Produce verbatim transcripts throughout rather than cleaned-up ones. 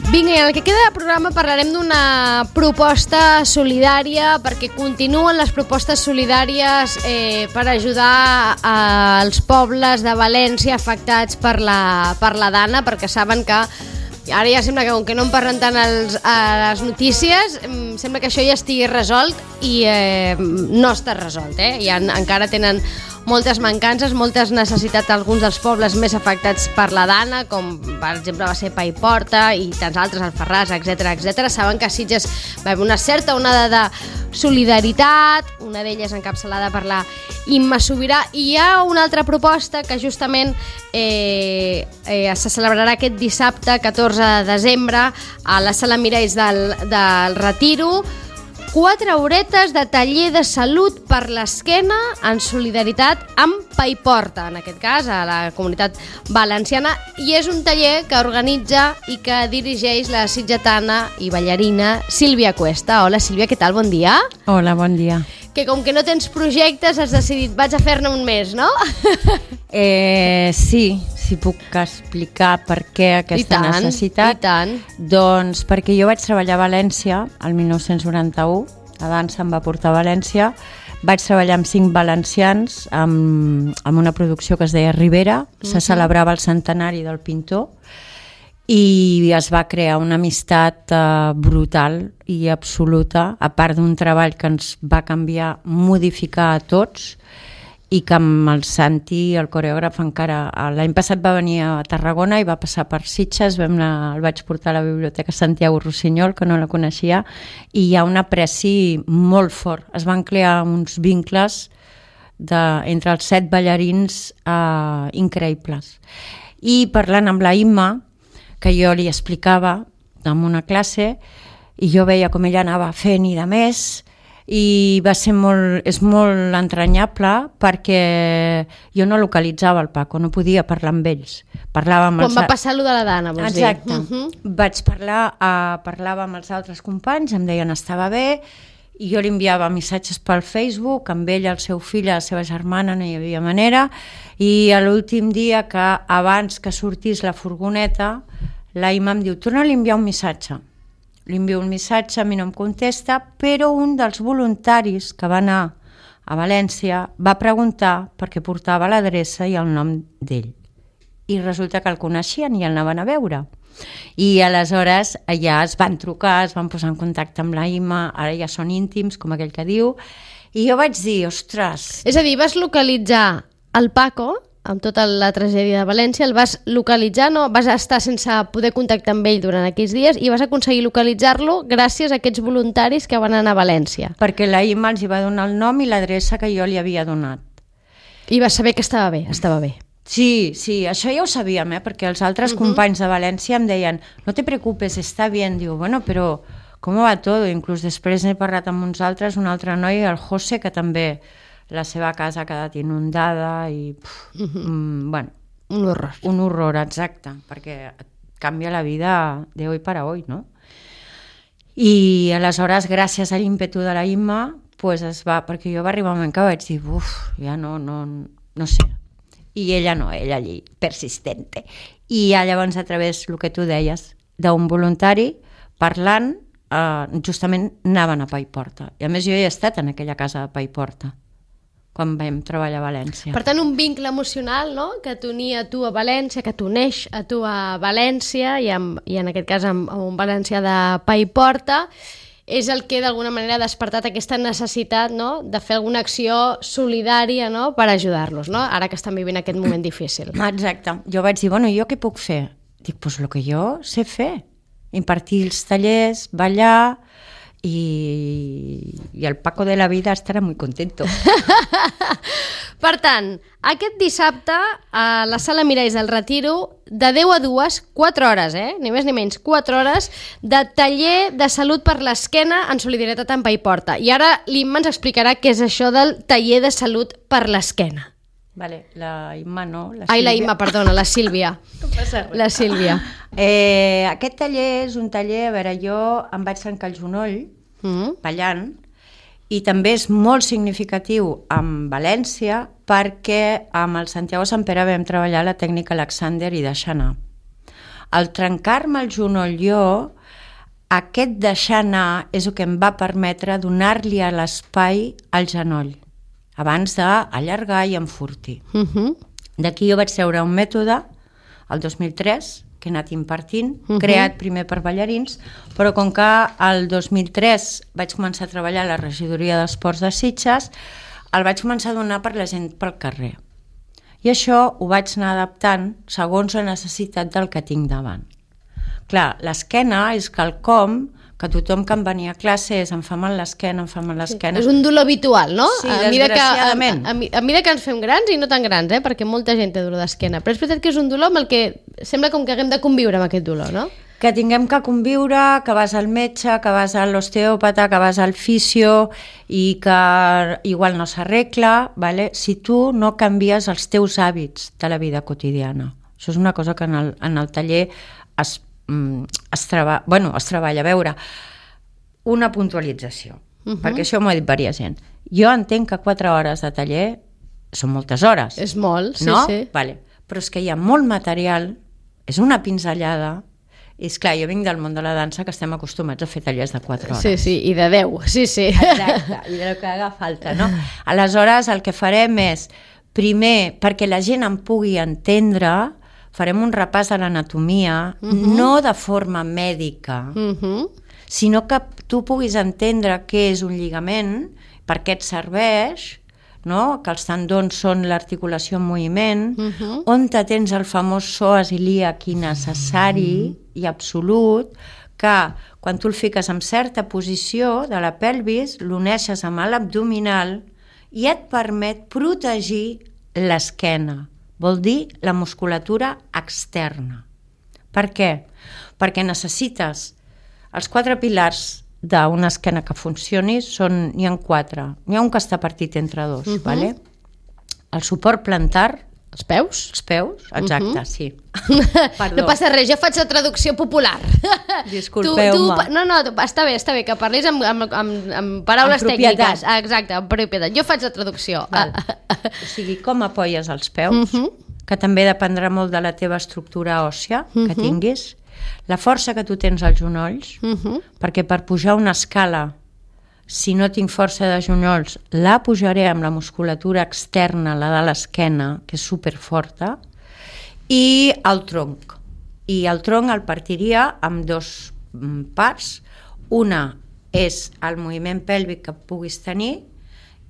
Vinga, i en el que queda de programa parlarem d'una proposta solidària, perquè continuen les propostes solidàries eh, per ajudar als pobles de València afectats per la, per la Dana, perquè saben que ara ja sembla que com que no en parlen tant als, a les notícies, sembla que això ja estigui resolt i eh, no està resolt, eh? I en, encara tenen moltes mancances, moltes necessitats alguns dels pobles més afectats per la Dana, com per exemple va ser Paiporta i tants altres, Alfarràs, etcètera, etcètera. Saben que a Sitges va haver una certa onada de solidaritat, una d'elles encapçalada per la Imma Sobirà, i hi ha una altra proposta que justament eh, eh, se celebrarà aquest dissabte, catorze de desembre, a la Sala Miralls del, del Retiro. Quatre horetes de taller de salut per l'esquena en solidaritat amb Paiporta, en aquest cas, a la comunitat valenciana, i és un taller que organitza i que dirigeix la sitgetana i ballarina Sílvia Cuesta. Hola Sílvia, què tal? Bon dia. Hola, bon dia. Que com que no tens projectes has decidit, vaig a fer-ne un mes, no? Eh, sí, si puc explicar per què aquesta I tant, necessitat. I tant. Doncs perquè jo vaig treballar a València el mil nou-cents noranta-u, la dansa em va portar a València, vaig treballar amb cinc valencians amb, amb una producció que es deia Ribera, uh-huh. Se celebrava el centenari del pintor i es va crear una amistat uh, brutal i absoluta, a part d'un treball que ens va canviar, modificar a tots, i que amb el Santi, el coreògraf, encara l'any passat va venir a Tarragona i va passar per Sitges, vam anar, el vaig portar a la Biblioteca Santiago Rossinyol, que no la coneixia, i hi ha un apreci molt fort. Es van crear uns vincles de, entre els set ballarins eh, increïbles. I parlant amb la Imma, que jo li explicava en una classe, i jo veia com ella anava fent i de més, i va ser molt, és molt entranyable perquè jo no localitzava el Paco, no podia parlar amb ells. Parlava amb Quan els... va passar allò de la Dana, vols dir? Exacte. Uh-huh. Vaig parlar, uh, parlava amb els altres companys, em deien estava bé, i jo li enviava missatges pel Facebook, amb ell, el seu fill, la seva germana, no hi havia manera, i a l'últim dia, que abans que sortís la furgoneta, la Imma em diu, torna-li a enviar un missatge. Li envio un missatge, a mi no em contesta, però un dels voluntaris que va anar a València va preguntar perquè portava l'adreça i el nom d'ell. I resulta que el coneixien i el anaven a veure. I aleshores ja es van trucar, es van posar en contacte amb la Imma, ara ja són íntims, com aquell que diu, i jo vaig dir, ostres... És a dir, vas localitzar el Paco, amb tota la tragèdia de València, el vas localitzar, no? Vas estar sense poder contactar amb ell durant aquells dies i vas aconseguir localitzar-lo gràcies a aquests voluntaris que van anar a València. Perquè la Imma els hi va donar el nom i l'adreça que jo li havia donat. I vas saber que estava bé, estava bé. Sí, sí, això ja ho sabíem, eh? Perquè els altres uh-huh. companys de València em deien no te preocupes, està bien. Diu, bueno, però com va tot? Inclús després he parlat amb uns altres, un altre noi, el José, que també... la seva casa ha quedat inundada i, pf, uh-huh. mm, bueno... Un horror. Un horror, exacte, perquè canvia la vida de hoy para hoy, no? I aleshores, gràcies a l'ímpetu de la Imma, pues es va, perquè jo va arribar un moment que vaig dir, uf, ja no, no, no sé. I ella no, ella allí, persistente. I ja llavors, a través, el que tu deies, d'un voluntari, parlant, eh, justament anaven a Paiporta. I a més jo he estat en aquella casa de Paiporta, quan vam treballar a València. Per tant, un vincle emocional, no?, que t'unia a tu a València, que t'uneix a tu a València, i, amb, i en aquest cas amb, amb un valencià de Paiporta, és el que d'alguna manera ha despertat aquesta necessitat, no?, de fer alguna acció solidària, no?, per ajudar-los, no?, ara que estan vivint aquest moment difícil. Exacte. Jo vaig dir, bueno, jo què puc fer? Dic, doncs pues el que jo sé fer. Impartir els tallers, ballar... I, i el Paco de la vida estarà molt contento. Per tant, aquest dissabte a la Sala Miralls del Retiro, de deu a dues, quatre hores, eh? ni més ni menys, quatre hores de taller de salut per l'esquena en solidaritat amb Paiporta. I ara l'Imma ens explicarà què és això del taller de salut per l'esquena. Vale, la Imma no, la Ai, la Imma, perdona, la Sílvia. No passa res. La Sílvia. Eh, aquest taller és un taller, a veure, jo em vaig trencar el genoll mm. ballant, i també és molt significatiu amb València perquè amb el Santiago Sant Pere vam treballar la tècnica Alexander i deixar anar. Al trencar-me el genoll jo, aquest deixar anar és el que em va permetre donar-li a l'espai al genoll, abans d'allargar i enfortir. Uh-huh. D'aquí jo vaig treure un mètode, el dos mil tres, que he anat impartint, uh-huh. creat primer per ballarins, però com que el dos mil tres vaig començar a treballar a la regidoria d'esports de Sitges, el vaig començar a donar per la gent pel carrer. I això ho vaig anar adaptant segons la necessitat del que tinc davant. Clar, l'esquena és quelcom que tothom que em venia a classe és em fa mal l'esquena, em fa mal l'esquena. Sí, és un dolor habitual, no? Sí, a desgraciadament. Que, a, a, a mesura que ens fem grans i no tan grans, eh? Perquè molta gent té dolor d'esquena, però és veritat que és un dolor amb el que sembla com que haguem de conviure amb aquest dolor, no? Que tinguem que conviure, que vas al metge, que vas a l'osteòpata, que vas al fisio i que igual no s'arregla, ¿vale? Si tu no canvies els teus hàbits de la vida quotidiana. Això és una cosa que en el, en el taller es Es, treba, bueno, es treballa. A veure, una puntualització, uh-huh. perquè això m'ho ha dit diversa gent. Jo entenc que quatre hores de taller són moltes hores. És molt, sí, no? sí. Vale. Però és que hi ha molt material, és una pinzellada, i és clar, jo vinc del món de la dansa que estem acostumats a fer tallers de quatre hores. Sí, sí, i de deu, sí, sí. Exacte, i de lo que haga falta, no? Aleshores, el que farem és, primer, perquè la gent em pugui entendre, farem un repàs de l'anatomia, uh-huh. no de forma mèdica, uh-huh. sinó que tu puguis entendre què és un lligament, per què et serveix, no? Que els tendons són l'articulació en moviment, uh-huh. on te tens el famós psoas ilíac necessari uh-huh. i absolut, que quan tu el fiques en certa posició de la pelvis, l'uneixes amb l'abdominal i et permet protegir l'esquena. Vol dir la musculatura externa. Per què? Perquè necessites els quatre pilars d'una esquena que funcioni, són, n'hi ha quatre. N'hi ha un que està partit entre dos. Uh-huh. Vale? El suport plantar. Els peus? Els peus, exacte, uh-huh. sí. No passa res, jo faig la traducció popular. Disculpeu-me. No, no, està bé, està bé, que parlis amb, amb, amb, amb paraules amb tècniques. Exacte, amb propietat. Jo faig la traducció. O sigui, com apoyes els peus, uh-huh. que també dependrà molt de la teva estructura òssia que uh-huh. tinguis, la força que tu tens als genolls, uh-huh. perquè per pujar una escala, si no tinc força de genolls, la pujaré amb la musculatura externa, la de l'esquena, que és superforta, i el tronc. I el tronc el partiria amb dos parts. Una és el moviment pèlvic que puguis tenir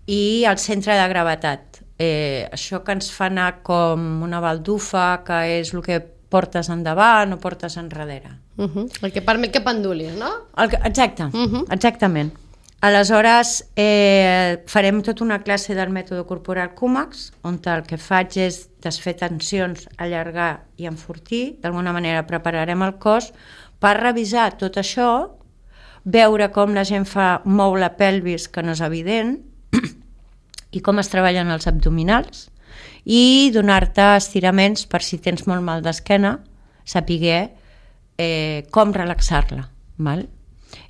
i el centre de gravetat. Eh, això que ens fa anar com una baldufa, que és el que portes endavant o portes enrere. Uh-huh. El que permet que pendulis, no? El que, exacte, uh-huh. exactament. Aleshores, eh, farem tota una classe del mètode corporal Cumax, on el que faig és desfer tensions, allargar i enfortir. D'alguna manera prepararem el cos per revisar tot això, veure com la gent fa mou la pelvis, que no és evident, i com es treballen els abdominals, i donar-te estiraments per si tens molt mal d'esquena, sapiguer eh, com relaxar-la, val?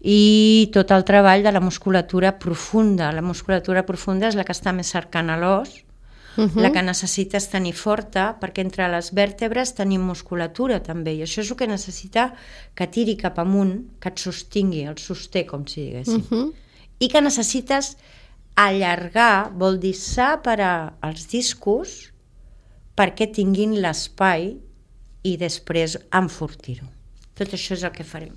I tot el treball de la musculatura profunda. La musculatura profunda és la que està més cercana a l'os, uh-huh. la que necessites tenir forta, perquè entre les vèrtebres tenim musculatura també, i això és el que necessita que tiri cap amunt, que et sostingui, el sosté, com si diguéssim. Uh-huh. I que necessites allargar, vol dir separar els discos perquè tinguin l'espai i després enfortir-ho. Tot això és el que farem.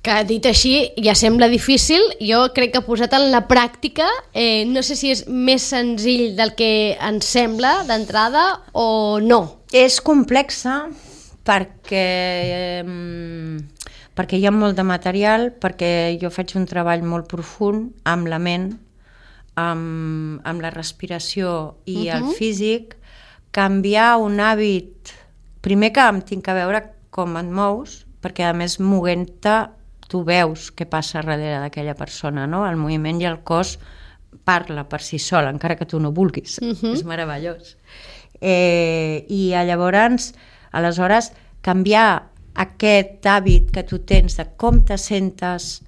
Que dit així ja sembla difícil, jo crec que posat en la pràctica eh, no sé si és més senzill del que ens sembla d'entrada o no. És complexa perquè, eh, perquè hi ha molt de material, perquè jo faig un treball molt profund amb la ment, amb, amb la respiració i uh-huh. el físic. Canviar un hàbit, primer que em tinc que veure com et mous, perquè a més moguent-te tu veus què passa darrere d'aquella persona, no? El moviment i el cos parla per si sol, encara que tu no vulguis. Uh-huh. És meravellós. Eh, I llavors, aleshores, canviar aquest hàbit que tu tens de com te sentes,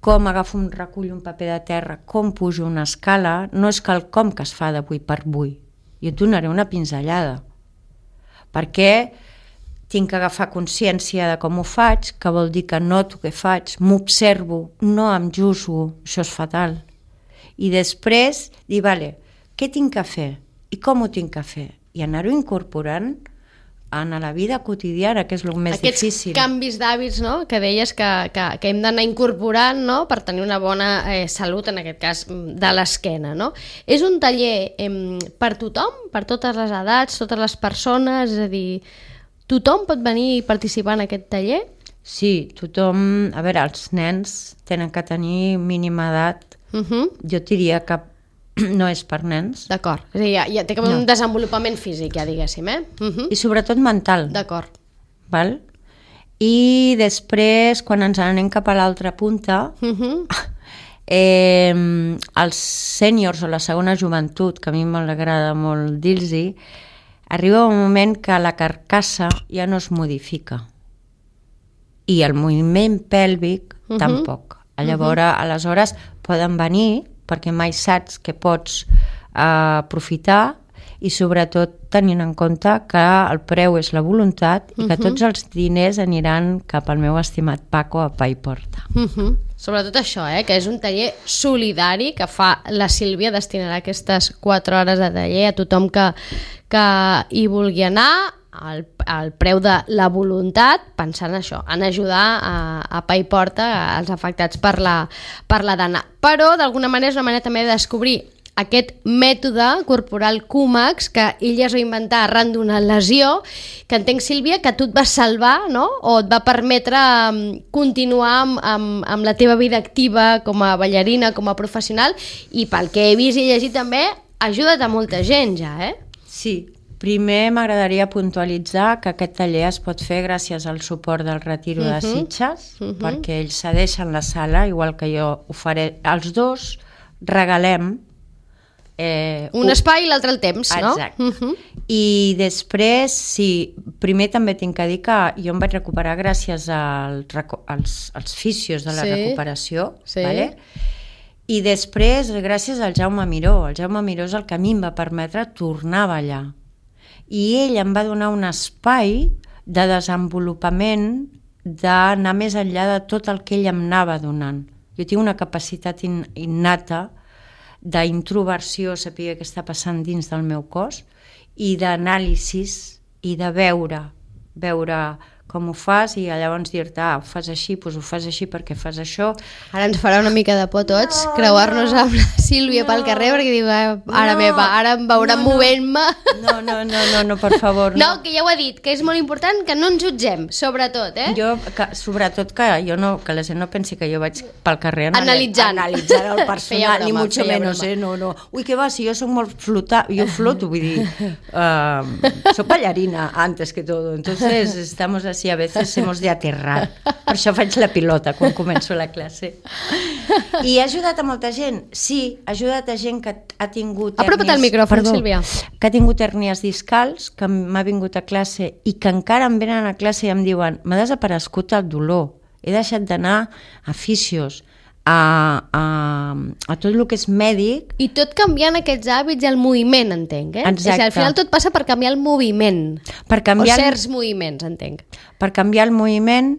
com agafo un recull, un paper de terra, com pujo una escala, no és quelcom que es fa d'avui per avui. Jo et donaré una pinzellada. Perquè tinc que agafar consciència de com ho faig, que vol dir que noto què faig, m'observo, no em juzgo, això és fatal. I després dir, vale, què tinc que fer i com ho tinc que fer? I anar-ho incorporant en la vida quotidiana, que és el més Aquests difícil. Aquests canvis d'hàbits, no?, que deies que, que, que hem d'anar incorporant, no?, per tenir una bona eh, salut, en aquest cas, de l'esquena, no? És un taller eh, per tothom, per totes les edats, totes les persones, és a dir, tothom pot venir i participar en aquest taller? Sí, tothom... A veure, els nens tenen que tenir mínima edat. Uh-huh. Jo diria que no és per nens. D'acord, és a dir, ja, ja té com no. un desenvolupament físic, ja diguéssim, eh? Uh-huh. I sobretot mental. D'acord. Val? I després, quan ens anem cap a l'altra punta, uh-huh. eh, els sèniors o la segona joventut, que a mi m'agrada molt dir-los-hi, arriba un moment que la carcassa ja no es modifica. I el moviment pèlvic uh-huh. tampoc. Llavors, uh-huh. aleshores poden venir perquè mai saps que pots eh, aprofitar i sobretot tenint en compte que el preu és la voluntat i que uh-huh. tots els diners aniran cap al meu estimat Paco a Pa i Porta. Uh-huh. Sobretot això, eh, que és un taller solidari que fa la Sílvia, destinarà aquestes quatre hores de taller a tothom que, que hi vulgui anar, el, el preu de la voluntat, pensant això, en ajudar a, a Pa i Porta, als afectats per la, per la dana. Però, d'alguna manera, és una manera també de descobrir aquest mètode corporal Cumax que ell es va inventar arran d'una lesió, que entenc, Sílvia, que tu et vas salvar, no?, o et va permetre continuar amb, amb, amb la teva vida activa com a ballarina, com a professional, i pel que he vist i llegit també, ha ajudat a molta gent ja, eh? Sí. Primer m'agradaria puntualitzar que aquest taller es pot fer gràcies al suport del Retiro uh-huh. de Sitges, uh-huh. perquè ells cedeixen la sala, igual que jo ho faré. Els dos regalem... Eh, un espai i l'altre el temps, no? Exacte. Uh-huh. I després, sí, primer també tinc que dir que jo em vaig recuperar gràcies al, als, als fisios de la sí. recuperació, sí. vale? I després gràcies al Jaume Miró. El Jaume Miró és el que a mi em va permetre tornar a ballar. I ell em va donar un espai de desenvolupament, d'anar més enllà de tot el que ell em anava donant. Jo tinc una capacitat in, innata d'introversió, saber què està passant dins del meu cos, i d'anàlisis i de veure, veure com ho fas i llavors dir-te, ah, ho fas així, doncs ho fas així perquè fas això. Ara ens farà una mica de por tots, no, creuar-nos no, amb la Sílvia no, pel carrer, perquè diu, ah, ara no, meva, ara em veurà no, movent-me. No, no, no, no, no, per favor. No. no, que ja ho he dit, que és molt important que no ens jutgem, sobretot, eh? Jo, que, sobretot que jo no, que la gent no pensi que jo vaig pel carrer analitzant, analitzant el personal, ni mucho menos, eh? No, no. Ui, què va, si jo soc molt flota, jo floto, vull dir, uh, soc ballarina antes que todo, entonces estamos así. A veces hemos de aterrar. Per això faig la pilota quan començo la classe. I ha ajudat a molta gent? Sí, ha ajudat a gent que ha tingut hèrnies... Apropa't al micròfon, perdó, Sílvia. Que ha tingut hèrnies discals, que m'ha vingut a classe i que encara em venen a classe i em diuen m'ha desaparegut el dolor, he deixat d'anar a fisios, A, a, a tot el que és mèdic. I tot canviant aquests hàbits i el moviment, entenc, eh? Exacte. És que al final tot passa per canviar el moviment. Per canviar o certs el... moviments, entenc. Per canviar el moviment,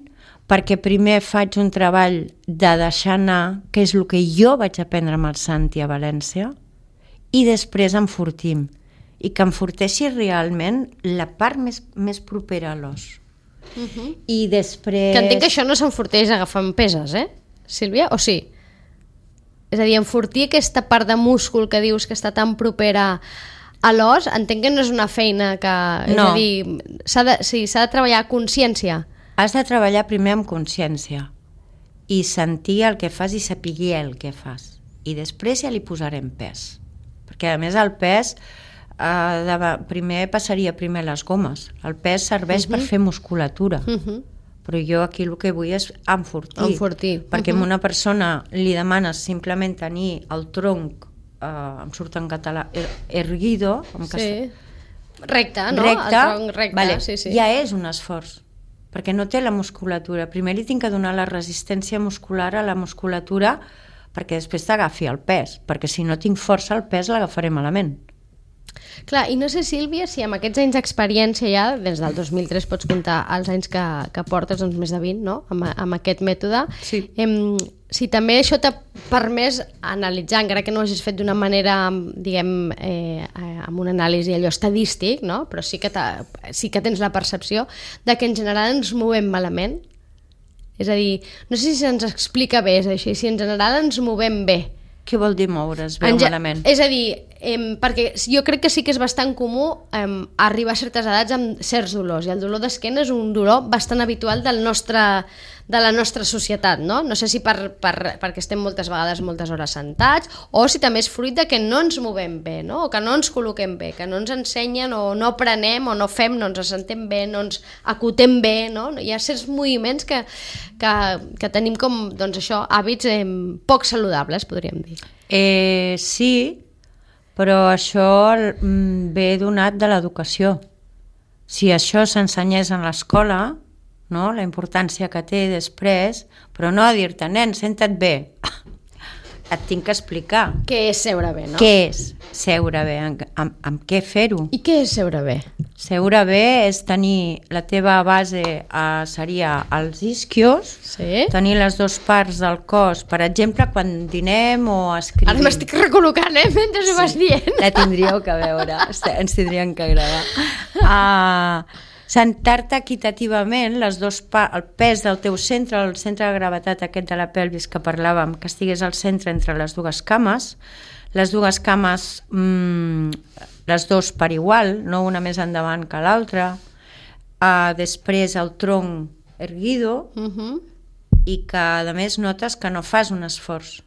perquè primer faig un treball de deixar anar, que és el que jo vaig aprendre amb el Santi a València, i després enfortim. I que enforteixi realment la part més, més propera a l'os. Uh-huh. I després... Que entenc que això no s'enforteix agafant peses, eh? Sílvia, o sí? És a dir, enfortir aquesta part de múscul que dius que està tan propera a l'os, entenc que no és una feina que... És no. a dir, s'ha de, sí, s'ha de treballar a consciència. Has de treballar primer amb consciència i sentir el que fas i saber el que fas. I després ja li posarem pes. Perquè a més el pes, eh, de, primer passaria primer les gomes. El pes serveix uh-huh. per fer musculatura. Uh-huh. Però jo aquí el que vull és enfortir, enfortir. perquè uh-huh. a una persona li demanes simplement tenir el tronc, eh, em surt en català, er, erguido, sí. Cas... recte, no? Recte, el tronc recte, vale. sí, sí. Ja és un esforç, perquè no té la musculatura. Primer li tinc que donar la resistència muscular a la musculatura perquè després t'agafi el pes, perquè si no tinc força el pes l'agafaré malament. Clar, i no sé, Sílvia, si amb aquests anys d'experiència ja, des del dos mil tres pots comptar els anys que, que portes, doncs més de vint, no?, amb, amb aquest mètode. Sí. Em, si també això t'ha permès analitzar, encara que no ho hagis fet d'una manera, diguem, eh, amb un anàlisi allò estadístic, no?, però sí que, sí que tens la percepció de que en general ens movem malament. És a dir, no sé si se'ns explica bé, és així, si en general ens movem bé. Què vol dir moure's bé o malament? És a dir, eh, perquè jo crec que sí que és bastant comú eh, arribar a certes edats amb certs dolors, i el dolor d'esquena és un dolor bastant habitual del nostre, de la nostra societat, no? No sé si per, per, perquè estem moltes vegades moltes hores sentats, o si també és fruit de que no ens movem bé, no? O que no ens col·loquem bé, que no ens ensenyen o no aprenem o no fem, no ens assentem bé, no ens acotem bé, no? Hi ha certs moviments que, que, que tenim com, doncs això, hàbits eh, poc saludables, podríem dir. Eh, sí, però això ve donat de l'educació. Si això s'ensenyés en l'escola, no? La importància que té després, però no a dir-te, nen, senta't bé. Et tinc que explicar. Què és seure bé, no? Què és seure bé? Amb, amb, amb què fer-ho? I què és seure bé? Seure bé és tenir, la teva base eh, seria els isquios, sí? Tenir les dues parts del cos, per exemple, quan dinem o escrivim. Ara m'estic recol·locant, eh, mentre ho vas dient. La tindríeu que veure, ens tindrien que agradar. Uh, sentar-te equitativament, les dos pa- el pes del teu centre, el centre de gravetat aquest de la pelvis que parlàvem, que estigués al centre entre les dues cames, les dues cames, mmm, les dos per igual, no una més endavant que l'altra, uh, després el tronc erguido, uh-huh. I que a més notes que no fas un esforç.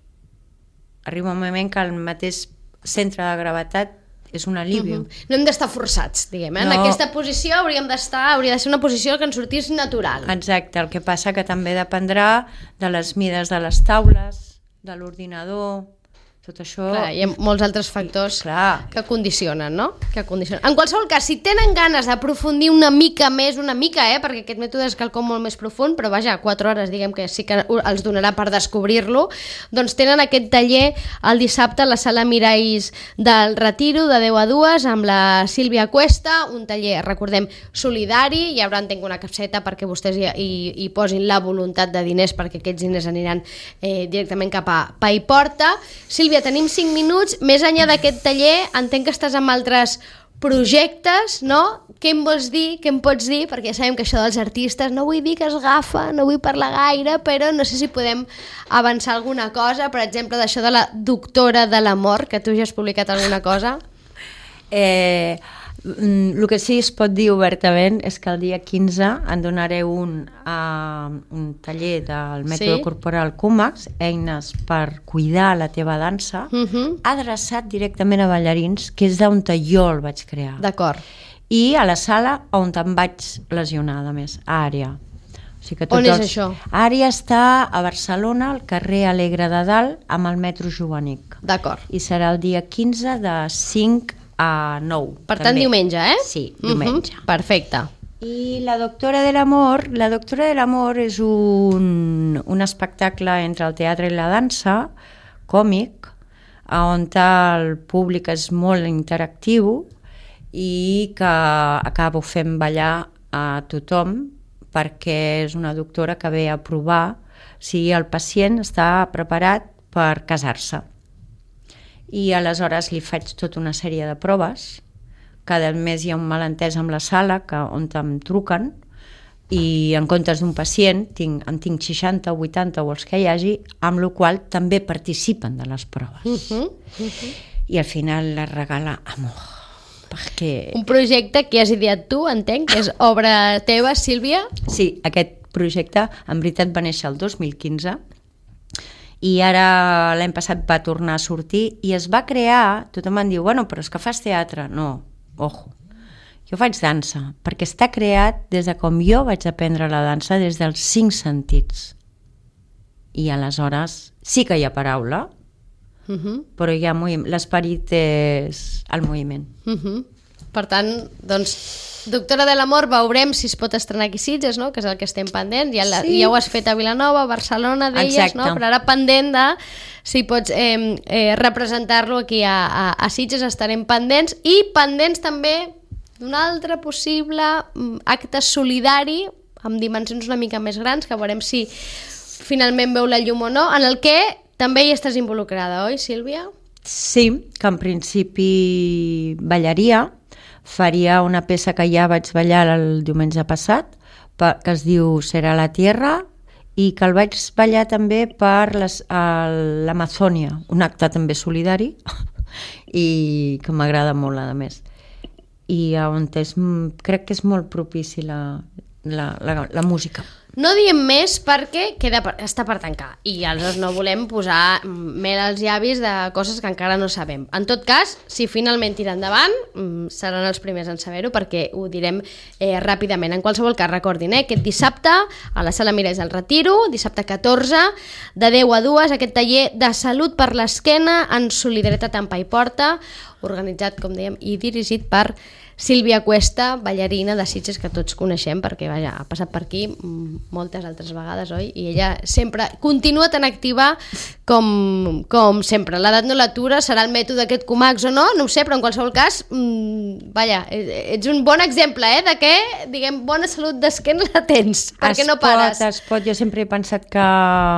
Arriba un moment que el mateix centre de gravetat és un alivi. Uh-huh. No hem d'estar forçats, diguem. Eh? No. En aquesta posició hauríem d'estar, hauria de ser una posició que ens sortís natural. Exacte, el que passa que també dependrà de les mides de les taules, de l'ordinador, tot això... Clar, hi ha molts altres factors Clar. que condicionen, no? Que condicionen. En qualsevol cas, si tenen ganes d'aprofundir una mica més, una mica, eh? Perquè aquest mètode és quelcom molt més profund, però vaja, quatre hores, diguem que sí que els donarà per descobrir-lo, doncs tenen aquest taller el dissabte a la sala Miralls del Retiro, de deu a dues, amb la Sílvia Cuesta, un taller, recordem, solidari, hi haurà, entenc, una capseta perquè vostès hi, hi, hi posin la voluntat de diners, perquè aquests diners aniran eh, directament cap a Paiporta. Sílvia, tenim cinc minuts, més enllà d'aquest taller, entenc que estàs amb altres projectes, no? Què em vols dir, què em pots dir? Perquè ja sabem que això dels artistes, no vull dir que es gafa, no vull parlar gaire, però no sé si podem avançar alguna cosa, per exemple, d'això de la doctora de l'amor, que tu ja has publicat alguna cosa. Eh... El que sí es pot dir obertament és que el dia quinze en donaré un, uh, un taller del mètode sí? corporal Cumax, eines per cuidar la teva dansa, uh-huh. adreçat directament a ballarins, que és d'on jo el vaig crear. D'acord. I a la sala on em vaig lesionar, a més, a Àrea. O sigui que on és els... això? Àrea està a Barcelona, al carrer Alegre de Dalt, amb el metro Jovanic. D'acord. I serà el dia quinze de cinc a nou. Per tant, també. Diumenge, eh? Sí, diumenge. Uh-huh. Perfecte. I la doctora de l'amor, la doctora de l'amor és un, un espectacle entre el teatre i la dansa, còmic, on el públic és molt interactiu i que acabo fent ballar a tothom perquè és una doctora que ve a provar si el pacient està preparat per casar-se. I aleshores li faig tota una sèrie de proves. Cada mes hi ha un malentès amb la sala que, on em truquen i en comptes d'un pacient tinc, en tinc seixanta o vuitanta o els que hi hagi, amb la qual també participen de les proves. Uh-huh, uh-huh. I al final la regala amor. Perquè... Un projecte que has ideat tu, entenc, que és obra teva, Sílvia? Sí, aquest projecte en veritat va néixer el dos mil quinze i ara l'any passat va tornar a sortir i es va crear, tothom em diu, bueno, però és que fas teatre. No, ojo, jo faig dansa, perquè està creat des de com jo vaig aprendre la dansa, des dels cinc sentits. I aleshores sí que hi ha paraula, uh-huh. però hi ha moviment, l'esperit és el moviment. Uh-huh. Per tant, doncs, Doctora de l'Amor, veurem si es pot estrenar aquí a Sitges, no? Que és el que estem pendent. Ja, la, sí. ja ho has fet a Vilanova, a Barcelona, deies, no? Però ara pendent de si pots eh, eh, representar-lo aquí a, a, a Sitges, estarem pendents. I pendents també d'un altre possible acte solidari amb dimensions una mica més grans, que veurem si finalment veu la llum o no, en el que també hi estàs involucrada, oi, Sílvia? Sí, que en principi ballaria. Faria una peça que ja vaig ballar el diumenge passat, que es diu Serà la Tierra, i que el vaig ballar també per l'Amazònia, un acte també solidari, i que m'agrada molt, a més. I on és, crec que és molt propici la, la, la, la música. No diem més perquè queda per, està per tancar i aleshores no volem posar mel als llavis de coses que encara no sabem. En tot cas, si finalment tira endavant, seran els primers en saber-ho perquè ho direm eh, ràpidament. En qualsevol cas, recordin, eh, aquest dissabte a la Sala Mireis del Retiro, dissabte catorze, de deu a dues, aquest taller de salut per l'esquena en solidaritat amb Pa i Porta, organitzat, com dèiem, i dirigit per Sílvia Cuesta, ballarina de Sitges, que tots coneixem perquè vaja, ha passat per aquí moltes altres vegades, oi? I ella sempre continua tan activa com, com sempre. L'edat no l'atura, serà el mètode aquest Comax o no, no ho sé, però en qualsevol cas, mmm, vaja, ets un bon exemple, eh, de que, diguem, bona salut d'esquena la tens, perquè es no pares. Pot, es pot, jo sempre he pensat que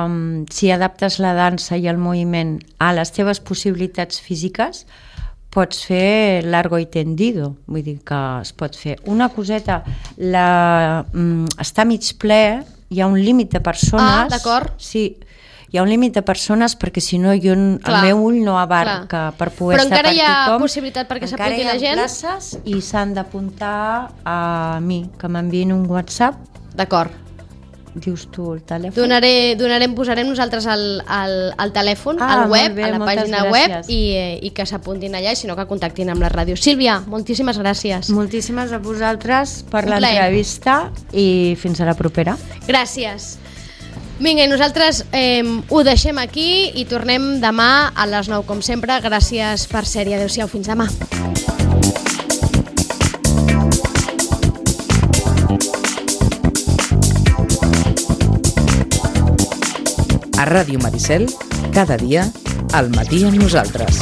um, si adaptes la dansa i el moviment a les teves possibilitats físiques, pots fer largo i tendido, vull dir que es pot fer una coseta, la, mm, està mig ple, hi ha un límit de persones. Ah, d'acord. Sí, hi ha un límit de persones perquè si no jo, el meu ull no abarca clar. Per poder estar per tothom. Però encara hi ha tothom. possibilitat perquè s'apunti la gent? Encara hi ha places i s'han d'apuntar a mi, que m'enviïn un WhatsApp. D'acord. Dius tu el telèfon? Donaré, donarem, posarem nosaltres el, el, el telèfon ah, al web, bé, a la pàgina gràcies. web i, i que s'apuntin allà i si no que contactin amb la ràdio. Sílvia, moltíssimes gràcies. Moltíssimes a vosaltres per l'entrevista i fins a la propera. Gràcies. Vinga, i nosaltres eh, ho deixem aquí i tornem demà a les nou com sempre. Gràcies per ser-hi. Adéu-siau, fins demà. A Ràdio Maricel, cada dia, al matí amb nosaltres.